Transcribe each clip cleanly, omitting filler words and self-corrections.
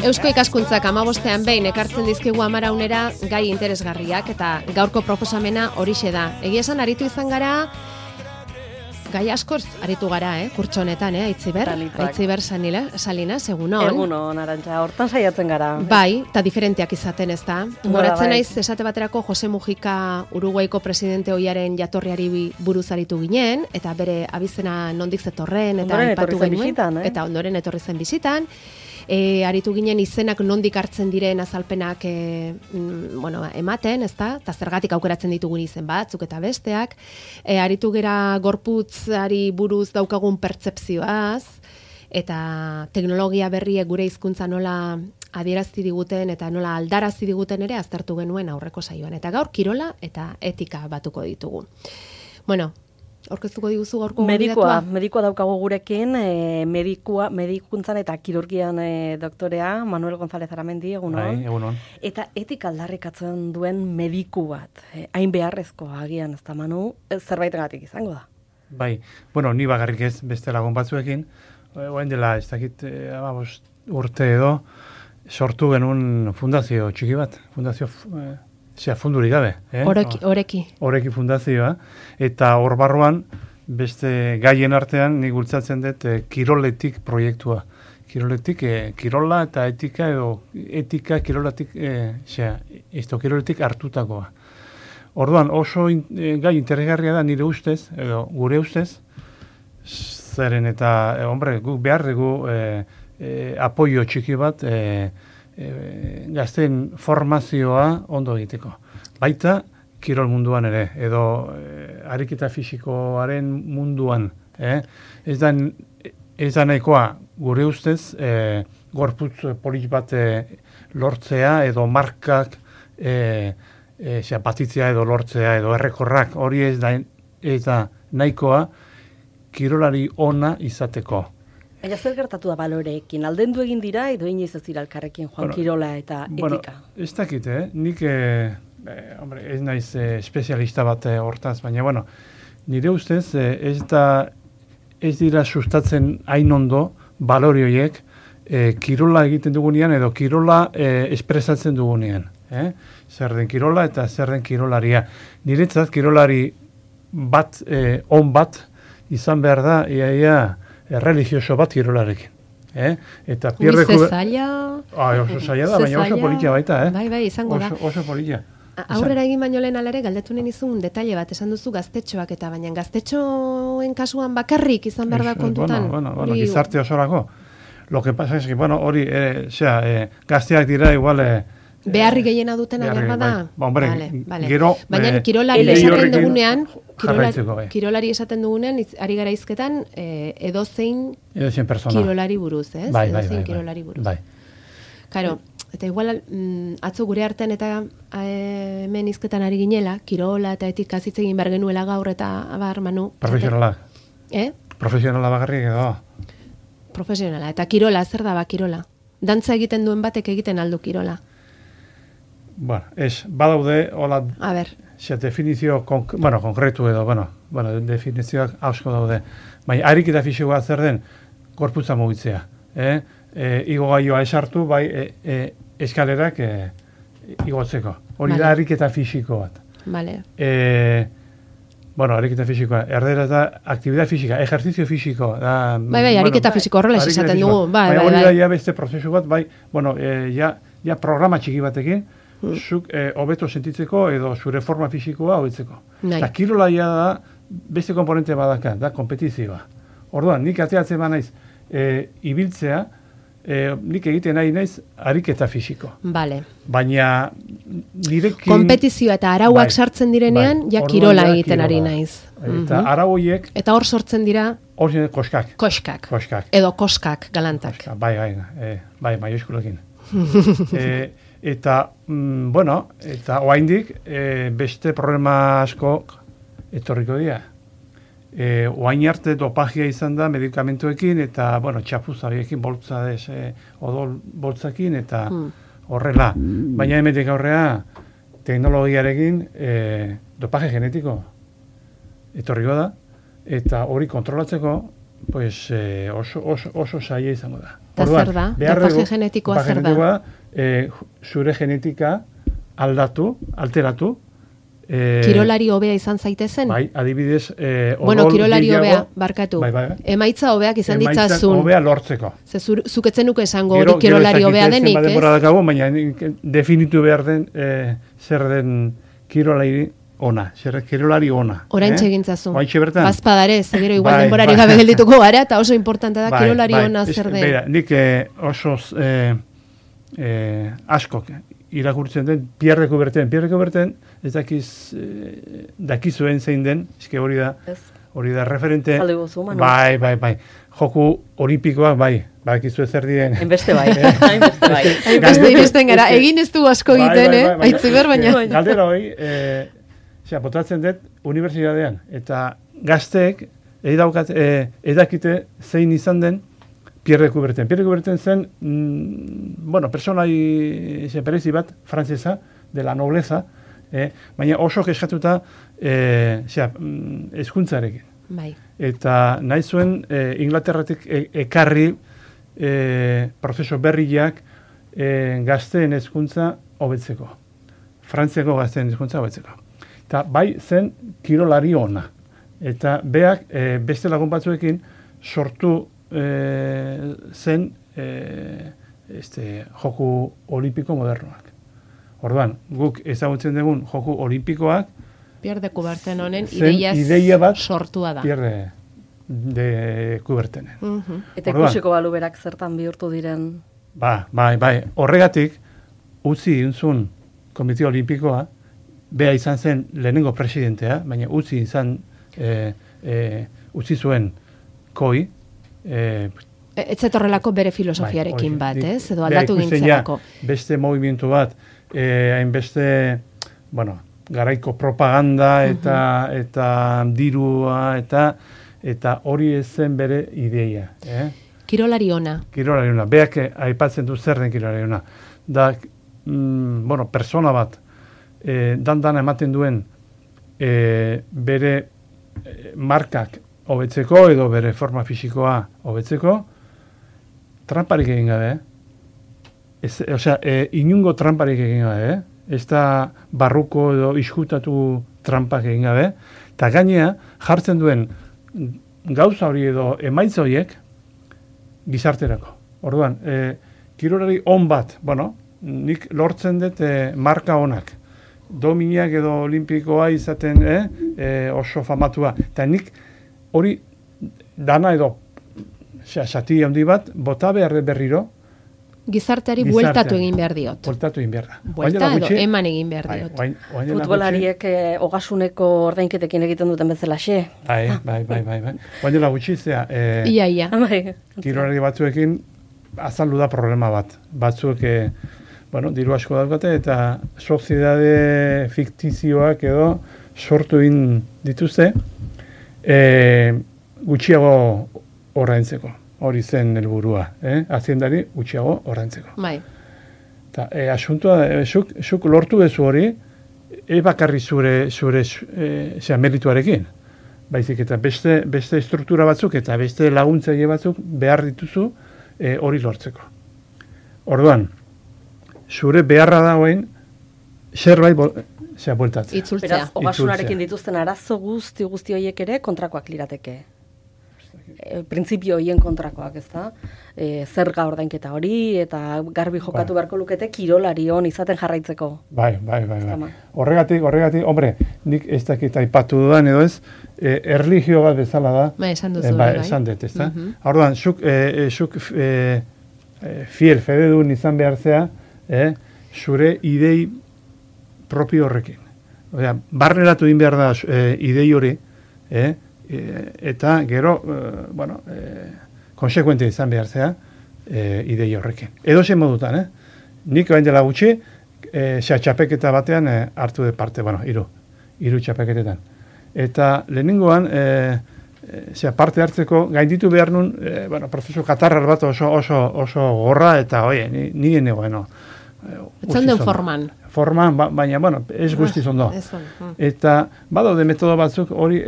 Eusko ikaskuntzak 15ean behin ekartzen dizkigu Amaraunera gai interesgarriak eta gaurko proposamena horixe da. Egia esan aritu izan gara, gai askoz aritu gara, kurtso honetan, Aitziber Salinas, egunon. Egunon, Arantxa, hortan saiatzen gara. Bai, eta diferenteak izaten ez da. Goratzen naiz esate baterako Jose Mujica Uruguaiko presidente ohiaren jatorriari buruz aritu ginen, eta bere abizena nondik zetorren, eta aipatu genuen, eta ondoren etorri zen bizitan. Aritu ginen izenak nondik hartzen diren azalpenak ematen, ezta? Eta zergatik aukeratzen ditugun izen batzuk eta besteak. Aritu gera gorputzari buruz daukagun pertzepzioaz, eta teknologia berriek gure hizkuntza nola adierazti diguten eta nola aldarazi diguten ere aztertu genuen aurreko saioan. Eta gaur kirola eta etika batuko ditugu. Bueno, aurkeztuko diguzu gaurko gonbidatua? Medikua daukagu gurekin, medikuntzan eta kirurgian doktorea, Manuel González Aramendi, egunon. Bai, egunon. Eta etika aldarrikatzen duen mediku bat, hain beharrezko agian, ez da Manu, zerbaitegatik izango da. Bai, ni bakarrik ez beste lagun batzuekin, oen dela, ez dakit, 15 urte edo, sortu genuen fundazio txiki bat, fundurik gabe. Horeki fundazioa. Eta hor barruan, beste gaien artean, nik bultzatzen dut kiroletik proiektua. Kirola eta etika edo etika kirolatik, kiroletik hartutakoa. Orduan oso gai interesgarria da nire ustez, edo gure ustez, zeren eta, guk behar dugu apoio txiki bat, gazten formazioa ondo egiteko. Baita, kirol munduan ere, edo ariketa fisikoaren munduan. Ez da nahikoa gure ustez, gorputz polit bat lortzea, edo markak batitzea edo lortzea, edo errekorrak, hori ez da nahikoa kirolari ona izateko. Baina zer gertatu da baloreekin? Aldendu egin dira edo inoiz ez dira elkarrekin joan kirola eta etika? Ez dakit, nik ez naiz espezialista bat hortaz, baina nire ustez ez dira sustatzen hain ondo balore horiek kirola egiten dugunean edo kirola espresatzen dugunean. Zer den kirola eta zer den kirolaria. Niretzat kirolari bat, on bat, izan behar da, religioso bat kirolarekin. Eta pierdeku... zaila... oso zaila da, baina oso politia baita, Bai, izango da. Oso politia. Aurrera egin baino lehen alare, galdetunen izun detaile bat, esan duzu gaztetxoak eta baina gaztetxoen kasuan bakarrik izan behar da kontutan. Gizarte osorako. Lo que pasa es que, hori, gazteak dira igual... Beharri gehiena dutena behar da? Gero... Baina kirolari esaten dugunean, kirolari esaten dugunean, ari gara izketan, edozein kirolari buruz, ez? Edozein kirolari buruz. Karo, eta igual, atzo gure artean eta hemen izketan ari ginela, kirola eta etika hitz egin behar genuela gaur eta abar, Manu. Profesionala. Profesionala bagarrik edo. Profesionala. Eta kirola, zer da ba kirola? Dantza egiten duen batek egiten aldu kirola. Badaude, hola, definizio, konkretu edo, definizioak hausko daude. Baina, ariketa fisikoa zer den, gorputza mugitzea. Igo gaioa esartu, eskalerak igotzeko. Hori da ariketa fisiko bat. Vale. Ariketa fisikoa, erdera da, aktibidad fisika, ejerzizio fisiko. Ariketa fisiko horrela esaten dugu. Hori da, ja beste prozesu bat, ja programa txiki batekin, zuk hobeto sentitzeko edo zure forma fisikoa hobetzeko. Eta kirolaia da beste komponente badaka, da kompetizioa. Orduan, nik ateatzen ba naiz ibiltzea, nik egiten nahi naiz ariketa fisiko. Vale. Baina nirekin... Kompetizioa eta arauak sartzen direnean, ja kirola egiten ari naiz. Eta arau horiek... Eta hor sortzen dira... Hor koskak. Koskak. Edo koskak, galantak. Bai, maiuskulekin. Eta oraindik beste problema asko etorriko dira. Oain arte dopagia izan da medikamentuekin eta, txapuzariekin odol boltzakin eta horrela. Baina emetik aurrea teknologiarekin dopaje genetiko etorriko da eta hori kontrolatzeko pues oso zaila izango da. Eta zer da? Dopaje genetikoa zer da? Zure genetika alteratu. Kirolari hobea izan zaitezen? Bai, adibidez, bueno, kirolari hobea, barkatu. Bai. Emaitza hobeak izan ditzazun. Emaitza hobea lortzeko. Zuketzen nuke esango hori kirolari hobea denik, ez? Baina definitu behar den zer den kirolari ona, kirolari ona. Oraintxe egintzazu. Oraintxe bertan. Bazpadare, gero igual denborari gabe geldituko gara, eta oso importante da kirolari ona zer den. Beira, nik oso askok irakurtzen den Pierre de Coubertin, ez dakizuen zein den, eske hori da referente. Bai. Joku olimpikoak bakizu zer diren. Enbeste bai. Hainbeste gara, egin ez du asko egiten, aitziber baina. Galdera hori, botatzen dut unibertsitatean, eta gazteek edakite zein izan den Pierre de Coubertin. Pierre de Coubertin zen, personai berezi bat, frantzesa, de la nobleza, baina oso keskatuta hezkuntzarekin. Bai. Eta nahi zuen Inglaterratik ekarri prozeso berriak gazteen hezkuntza hobetzeko. Frantziako gazteen hezkuntza hobetzeko. Eta bai zen kirolari ona. Eta beak beste lagun batzuekin sortu zen joku olimpiko modernoak. Orduan, guk ezagutzen dugun joku olimpikoak Pierre de Coubertin honen ideia bat sortua da. Pierre de Coubertin. Eta ikusiko balu berak zertan bihurtu diren. Bai. Horregatik utzi inzun Komite Olimpikoa, bea izan zen lehenengo presidentea, baina utzi zuen koi. Etzetorrelako bere filosofiarekin bat, ez? Edo aldatu gintzelako. Beste movimentu bat, hainbeste, garaiko propaganda eta dirua eta hori ez zen bere ideia. Kirolari ona. Beak aipatzen du zer den kirolari ona. Da, persona bat, dan ematen duen bere markak hobetzeko edo bere forma fisikoa hobetzeko, tramparik egin gabe, inungo tramparik egin gabe, ez da barruko edo iskutatu trampak egin gabe, eta gainea jartzen duen gauza hori edo emaitza horiek gizarterako. Orduan, kirolari on bat, nik lortzen dut marka onak, dominak edo olimpikoa izaten oso famatua, eta nik hori dana edo sati handi bat, bota behar berriro. Gizarteari bueltatu egin behar diot. Bueltatu egin behar da. Buelta edo eman egin behar diot. Futbolariek ogasuneko ordainketekin egiten duten bezala xe. Bai. Baina gutxi, Ia. Kirolari batzuekin azaldu da problema bat. Batzuek, diru asko daukate eta soziedade fiktizioak edo sortu egin dituzte, gutxiago ordaintzeko. Hori zen helburua, aziendari gutxiago ordaintzeko. Bai. Ta asuntua, zuk lortu bezu hori, bakarri zure merituarekin. Baizik eta beste struktura batzuk eta beste laguntzaile batzuk behar dituzu hori lortzeko. Orduan, zure beharra dagoen zerbait bueltatzea. Itzultzea. Beraz, ogasunarekin dituzten arazo guzti horiek ere kontrakoak lirateke. Printzipio horien kontrakoak, ez da? Zerga ordainketa hori, eta garbi jokatu beharko lukete kirolari on izaten jarraitzeko. Bai. Horregatik, hombre, nik ez dakit aipatu dudan edo ez, erlijio bat bezala da. Esan duzu. Esan dut, ez da? Orduan, zuk fededun izan behar zea, zure idei propio horrekin. Barneratu din behar da idei hori, eta gero, konsekuente izan behar zea idei horrekin. Edo zen modutan, nik bain dela gutxi, txapeketa batean hartu de parte, hiru txapeketetan. Eta lehenengoan, parte hartzeko, gainditu behar nun, prozesu katarrar bat oso gorra, eta nire negoen, etzan den forman. Baina, ez guztiz ondo. Eta, badaude metodo batzuk hori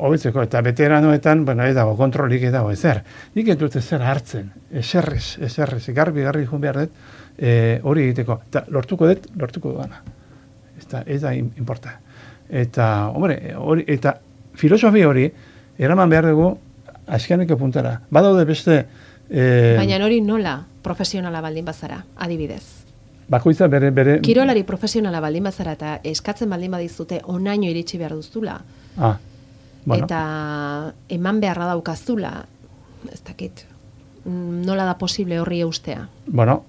hobetzeko, eta veteranoetan, bueno, ez dago, kontrolik ez dago, ezer. Nik ez dut ezer hartzen, eserrez, garbi jun behar dut, hori egiteko. Eta lortuko duana. Ez da importa. Eta, hombre, eta filosofia hori, eraman behar dugu, azkeneko puntara. Badaude beste... Baina hori nola profesionala baldin bazara, adibidez? Bakoitza bere... Kirolari profesionala baldin bazara eta eskatzen baldin badizute onaino iritsi behar duztula. Bueno. Eta eman beharra daukazula, ez dakit, nola da posible horri eustea? Bueno,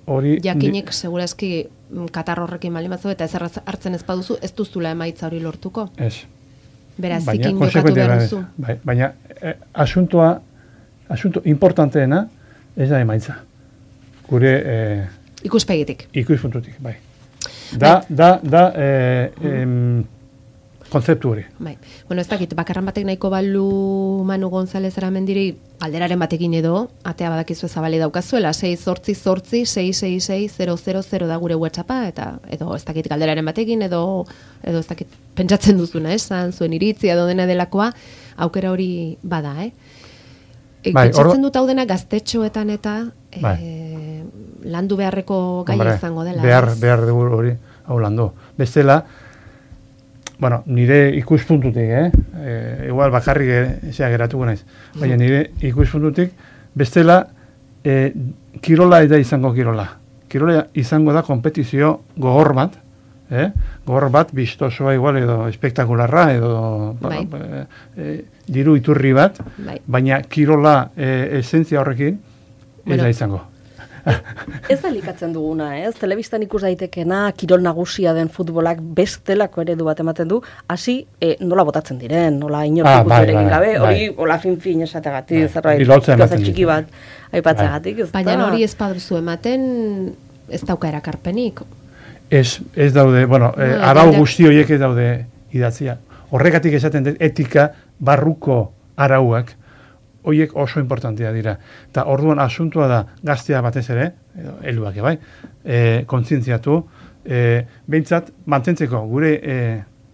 hori... Jakinik, segurazki, katar horrekin baldin batzu, eta ez hartzen ez baduzu, ez duzula emaitza hori lortuko? Ez. Beraz, zikin jokatu behar duzu. Baina, asunto importanteena ez da emaitza. Gure... Ikuspegitik. Ikuspuntutik, bai. Konzeptu hori. Bai. Bueno, ez dakit, bakarran batek nahiko balu Manu González Aramendiri alderaren batekin edo, atea badakizu zabali daukazuela, 688-666-000 da gure WhatsAppa, eta edo ez dakit galderaren batekin, edo ez dakit pentsatzen duzuna, esan zuen iritzia edo dena delakoa, aukera hori bada, Pentsatzen dut hau dena gaztetxoetan eta landu beharreko gai izango dela. Behar dugu hori hau landu. Bestela, bueno, nire ikuspuntutik, igual bakarrik geratuko naiz. Baina nire ikuspuntutik, bestela, kirola eta izango kirola. Kirola izango da kompetizio gogor bat, gogor bat, bistosoa igual edo espektakularra edo diru iturri bat, baina kirola esentzia horrekin ez da izango. Ez da likatzen duguna, telebistan ikus daitekena, kirol nagusia den futbolak bestelako eredu bat ematen du, hasi nola botatzen diren, nola inortik egin gabe, hori hola fin esategatik, zerbait gauza txiki bat aipatzagatik. Baina hori ez baduzu ematen ez dauka erakarpenik. Ez daude, bueno, arau guzti horiek ez daude idatzia. Horregatik esaten dut etika barruko arauak, horiek oso importantea dira. Eta orduan asuntua da gaztea batez ere, helduak bai, kontzientziatu, behintzat mantentzeko gure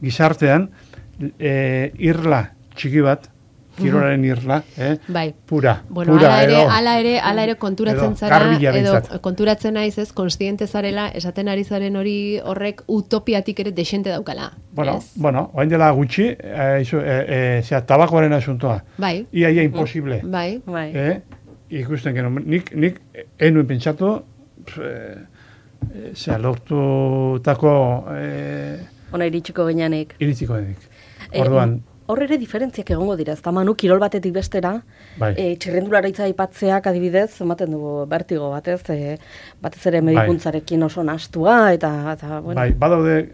gizartean irla txiki bat, kirolaren irla, pura. Bueno, ala ere konturatzen zara, edo konturatzen naiz ez, konstiente zarela, esaten ari zaren hori horrek utopiatik ere desente daukala. Bueno, oain dela gutxi, tabakoaren asuntoa. Bai. Ia imposible. Bai. Ikusten gero, nik enuen pentsatu, lortutako... Ona iritsiko gineanik. Iritsiko gineanik. Orduan... Hor ere diferentziak egongo dira, ez da Manu, kirol batetik bestera, txirrendularitza aipatzeak adibidez, ematen dugu bertigo batez ere medikuntzarekin oso nastua, eta bueno. Bai, badaude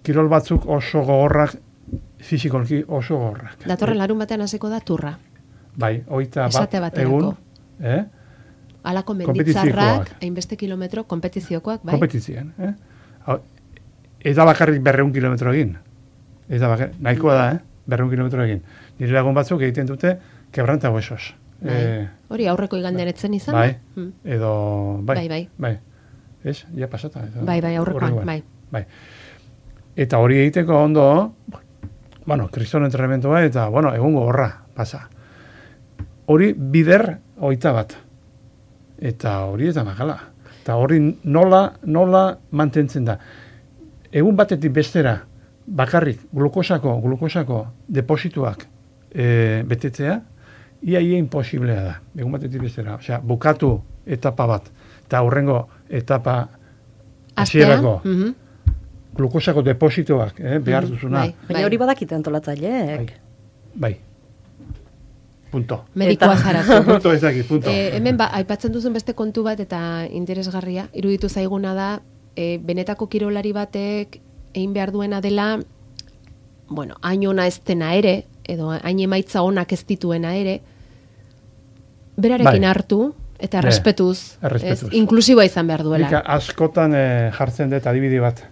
kirol batzuk oso gogorrak, fizikolki oso gogorrak. Datorren larun batean hasiko da turra. Bai, 21 egun. Alako menditzarrak, hainbeste kilometro, kompetiziokoak, bai? Kompetizioan, Ez da bakarrik 200 kilometro egin. Ez da bakarrik, nahikoa da, 200 kilometro egin. Nire lagun batzuk egiten dute quebranta huesos. Hori aurreko igandean etzen izan? Bai, edo... Bai. Ez? Ja pasata. Bai, aurrekoan, bai. Eta hori egiteko ondo, bueno, kriston entrenamentua eta, bueno, egungo horra pasa. Hori bider 21. Eta hori ez da makala. Eta hori nola mantentzen da. Egun batetik bestera, bakarrik glukosako deposituak betetzea, ia imposiblea da. Egun batetik bestera. Osea, bukatu etapa bat, eta hurrengo etapa hasierako glukosako deposituak behar duzuna. Baina hori badakite antolatzaileek. Bai. Punto. Medikoa zarazu. Punto ezakit, punto. Hemen aipatzen duzun beste kontu bat eta interesgarria, iruditu zaiguna da, benetako kirolari batek egin behar duena dela, bueno, hain ona ez dena ere, edo hain emaitza onak ez dituena ere, berarekin hartu, eta errespetuz, inklusiboa izan behar duela. Nika askotan jartzen dut adibide bat.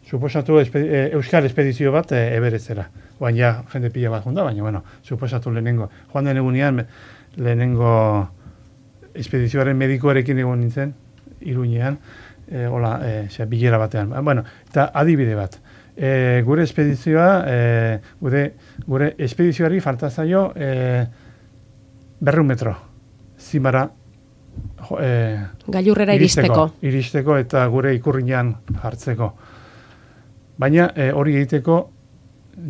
Suposatu Euskal Espedizio bat Everestzera. Oan ja, jende pila bat junda, baina, bueno, suposatu lehenengo. Joan den egunean, lehenengo espedizioaren medikoarekin egon nintzen, Iruñean, bilera batean. Bueno, eta adibide bat. Gure espedizioa, gure espedizioari falta zaio 200 metro. Zimara gailurrera iristeko eta gure ikurrinan jartzeko. Baina hori egiteko,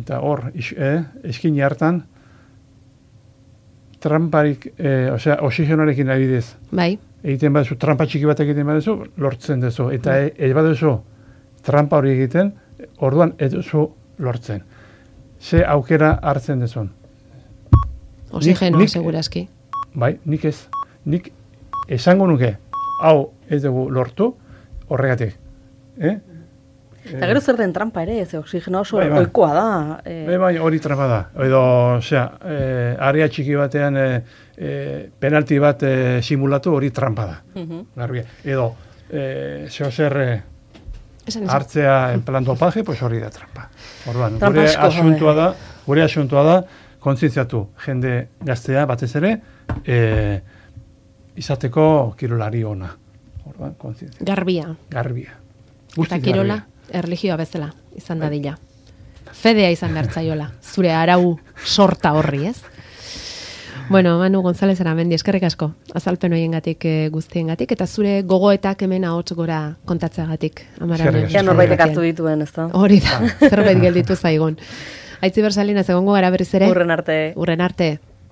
eta hor, eskini hartan, tramparik, oxigenoarekin adibidez. Bai. Egiten baduzu, trampa txiki bat egiten baduzu, lortzen duzu. Eta baduzu, trampa hori egiten, orduan eduzu lortzen. Ze aukera hartzen duzun. Oxigenoa, segurazki. Bai, nik ez. Nik esango nuke, hau ez dugu lortu, horregatik. Eta gero zer den trampa ere, ez oxigenoa oso oikoa da. Bai, hori trampa da. Edo, area txiki batean penalti bat simulatu hori trampa da. Garbia. Edo, zer hartzea en plan dopaje, pues hori da trampa. Orduan, gure asuntua da, kontzientziatu jende gaztea batez ere, izateko kirolari ona. Orduan, kontzientzia. Garbia. Eta kirola, erlijioa bezala, izan dadila. Fedea izan bertzaiola, zure arau sorta horri, ez? Bueno, Manu González Aramendi, eskerrik asko, azalpen horiengatik guztiengatik, eta zure gogoetak hemen ahots gora kontatzeagatik. Ja norbaitek hartu dituen, ez da? Hori da, zerbait gelditu zaigun. Aitziber Salinas, egongo gara berriz ere? Urren arte.